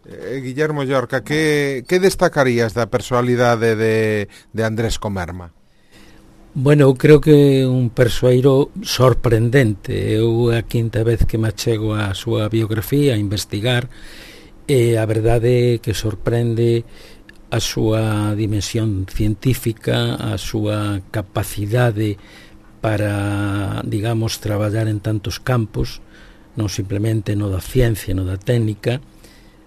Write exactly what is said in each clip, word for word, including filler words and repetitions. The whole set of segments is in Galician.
Eh, Guillermo Llorca, que, que destacarías da personalidade de, de Andrés Comerma? Bueno, eu creo que un persoeiro sorprendente. Eu a quinta vez que me achego a súa biografía a investigar, e a verdade é que sorprende a súa dimensión científica, a súa capacidade para, digamos, traballar en tantos campos, non simplemente no da ciencia, no da técnica,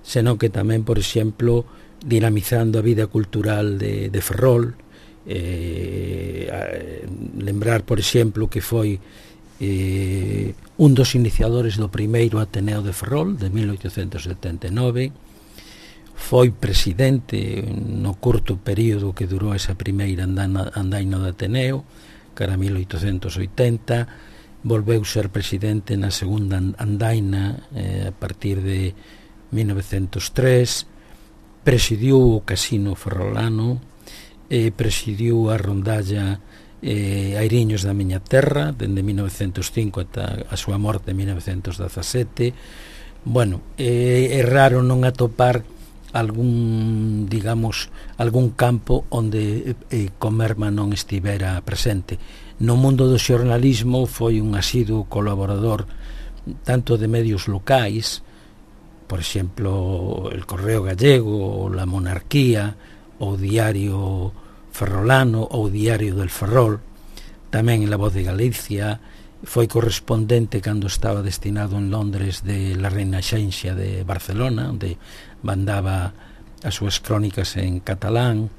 senón que tamén, por exemplo, dinamizando a vida cultural de, de Ferrol. Eh, lembrar, por exemplo, que foi eh, un dos iniciadores do primeiro Ateneo de Ferrol de mil oitocentos setenta e nove, foi presidente no curto período que durou esa primeira andana, andaina do Ateneo, cara a mil oitocentos oitenta, volveu ser presidente na segunda andaina eh, a partir de mil novecentos tres, presidiu o Casino Ferrolano, eh, presidiu a rondalla eh, Airiños da miña terra dende mil novecentos cinco ata a súa morte en mil novecentos dezasete. Bueno, eh, é raro non atopar algún, digamos, algún campo onde eh, Comerma non estivera presente. No mundo do xornalismo foi un asiduo colaborador tanto de medios locais, por exemplo, el Correo Gallego, La Monarquía, o Diario Ferrolano ou Diario del Ferrol, tamén en La Voz de Galicia. Foi correspondente cando estaba destinado en Londres de La Renaixença de Barcelona, onde mandaba as súas crónicas en catalán,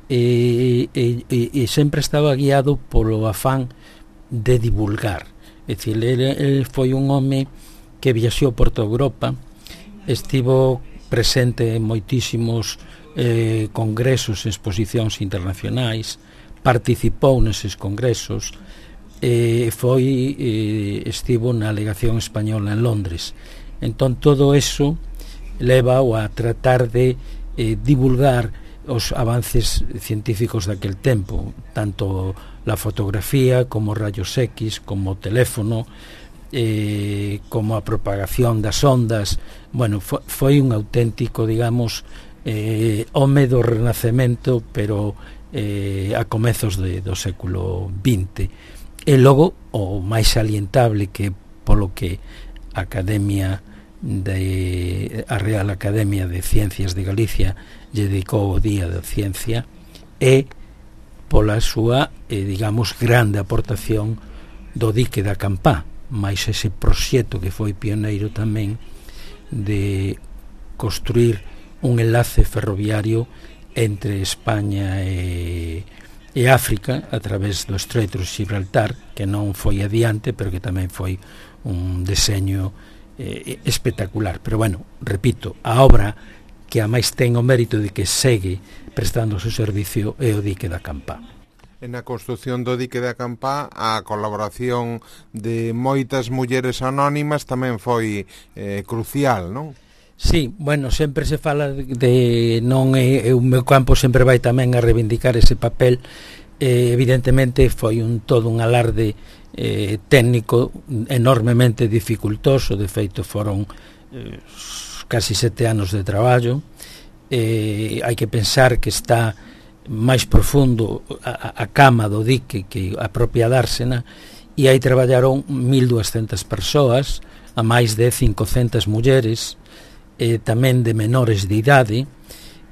e, e, e, e sempre estaba guiado polo afán de divulgar. É dicir, ele, ele foi un home que viaxou por toda Europa, estivo presente en moitísimos eh, congresos e exposicións internacionais, participou neses congresos, eh, foi eh, estivo na alegación española en Londres. Entón todo eso leva-o a tratar de eh, divulgar os avances científicos daquel tempo, tanto la fotografía como rayos X, como o teléfono, eh, como a propagación das ondas. Bueno, foi, foi un auténtico, digamos, eh, home do Renacemento, pero eh, a comezos de, do século vinte. E logo, o máis salientable, que polo que a Academia de a Real Academia de Ciencias de Galicia lle dedicou o Día da Ciencia, e pola súa, eh, digamos, grande aportación do dique da Campá, máis ese proxecto que foi pioneiro tamén de construir un enlace ferroviario entre España e, e África a través do Estreito de Gibraltar, que non foi adiante, pero que tamén foi un deseño eh, espectacular. Pero bueno, repito, a obra que a máis ten o mérito de que segue prestando o seu servicio é o dique da Campá. Na construción do dique da Campá, a colaboración de moitas mulleres anónimas tamén foi eh, crucial, non? Sí, bueno, sempre se fala de non é, o meu campo sempre vai tamén a reivindicar ese papel. Eh, evidentemente foi un todo un alarde eh, técnico enormemente dificultoso. De feito foron eh, casi sete anos de traballo. Eh, hai que pensar que está máis profundo a, a cama do dique que a propia dársena, e aí traballaron mil duascentas persoas, a máis de cincocentas mulleres, eh, tamén de menores de idade,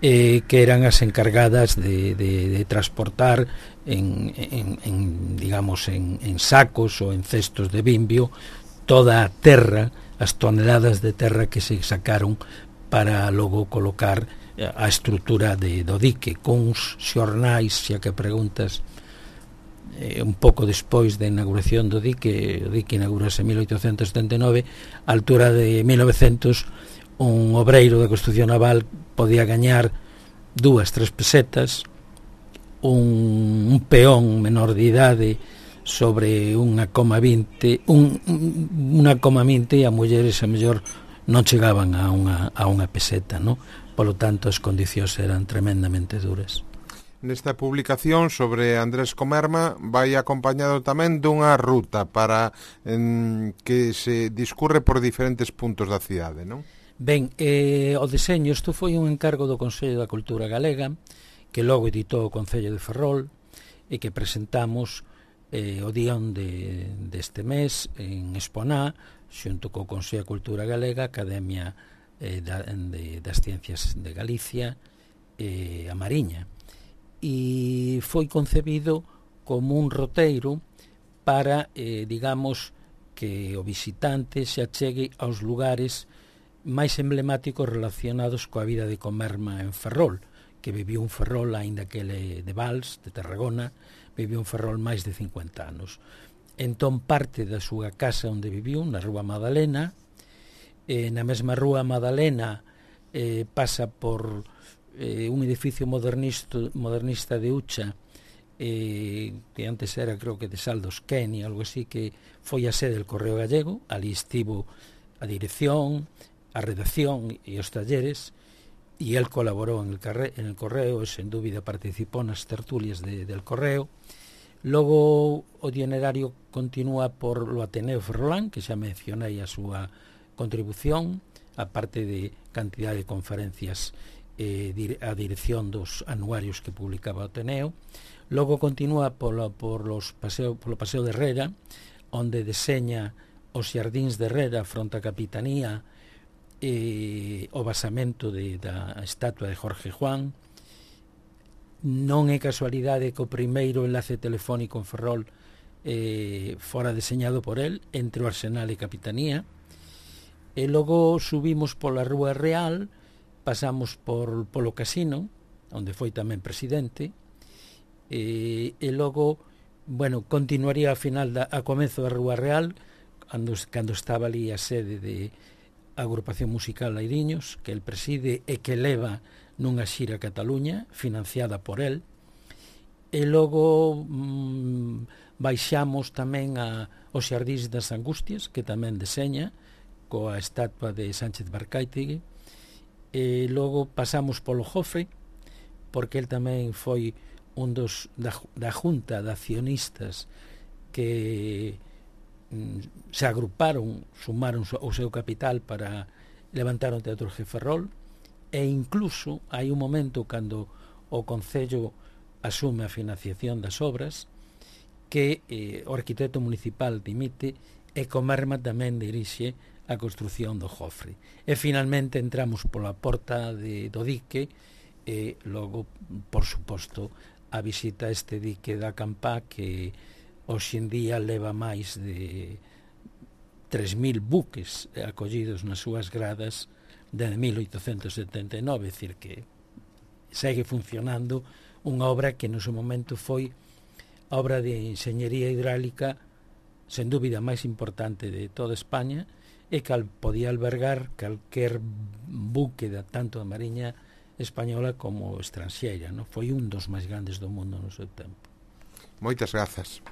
eh, que eran as encargadas de, de, de transportar en, en, en digamos en, en sacos ou en cestos de bimbio toda a terra, as toneladas de terra que se sacaron para logo colocar a estrutura de, do dique, cuns xornais, xa que preguntas, eh, un pouco despois da inauguración do dique. O dique inaugurase en mil oitocentos setenta e nove, a altura de mil novecentos, un obreiro de construcción naval podía gañar dúas, tres pesetas, un, un peón menor de idade sobre unha coma vinte, un, unha coma vinte, e a mulleres a mellor non chegaban a unha, a unha peseta, non? Polo tanto, as condicións eran tremendamente duras. Nesta publicación sobre Andrés Comerma vai acompañado tamén dunha ruta para en, que se discurre por diferentes puntos da cidade, non? Ben, eh, o deseño, isto foi un encargo do Consello da Cultura Galega, que logo editou o Concello de Ferrol, e que presentamos eh, o día onde deste mes en Exponá, xunto co Consello da Cultura Galega, Academia eh, da, de, das Ciencias de Galicia e eh, a Mariña. E foi concebido como un roteiro para, eh, digamos, que o visitante se achegue aos lugares máis emblemáticos relacionados coa vida de Comerma en Ferrol, que viviu un Ferrol, aínda que ele de Vals, de Tarragona, viviu un Ferrol máis de cincuenta anos. Entón parte da súa casa onde viviu, na Rúa Madalena, eh, na mesma Rúa Madalena eh, pasa por eh, un edificio modernista, modernista de Ucha, eh, que antes era, creo que de Saldos Kenny, algo así, que foi a sede del Correo Gallego. Ali estivo a dirección, a redacción e os talleres, e el colaborou en el, carre, en el Correo, e sen dúbida participou nas tertulias de, del Correo. Logo o itinerario continúa por lo Ateneo Ferrolán, que xa mencionei a súa contribución, a parte de cantidad de conferencias eh, a dirección dos anuarios que publicaba o Ateneo. Logo continúa polo, por los paseo, polo Paseo de Herrera, onde deseña os xardíns de Herrera fronte a Capitanía, eh, o basamento de, da estatua de Jorge Juan. Non é casualidade que o primeiro enlace telefónico en Ferrol eh, fora deseñado por el, entre o Arsenal e Capitanía. E logo subimos pola Rúa Real, pasamos por polo Casino, onde foi tamén presidente, e, e logo, bueno, continuaría a final da, a comezo da Rúa Real, cando, cando estaba ali a sede de Agrupación Musical Lairiños, que el preside e que leva nunha xira a Cataluña, financiada por el. E logo mmm, baixamos tamén a, os xardíns das Angustias, que tamén deseña, coa estatua de Sánchez Barcaitegui. E logo pasamos polo Jofre, porque el tamén foi un dos da, da junta de accionistas que mm, se agruparon, sumaron o seu capital para levantar o Teatro G. Ferrol, e incluso hai un momento cando o Concello asume a financiación das obras que eh, o arquitecto municipal dimite e Comerma tamén dirixe a construción do Jofre. E finalmente entramos pola porta de, do dique e logo, por suposto, a visita a este dique da Campá, que hoxe en día leva máis de tres mil buques acollidos nas súas gradas desde mil oitocentos setenta e nove, é dicir que segue funcionando unha obra que no seu momento foi a obra de enxeñería hidráulica sen dúbida máis importante de toda España, e que podía albergar calquer buque da, tanto da Mariña española como estranxeira, non? Foi un dos máis grandes do mundo no seu tempo. Moitas grazas.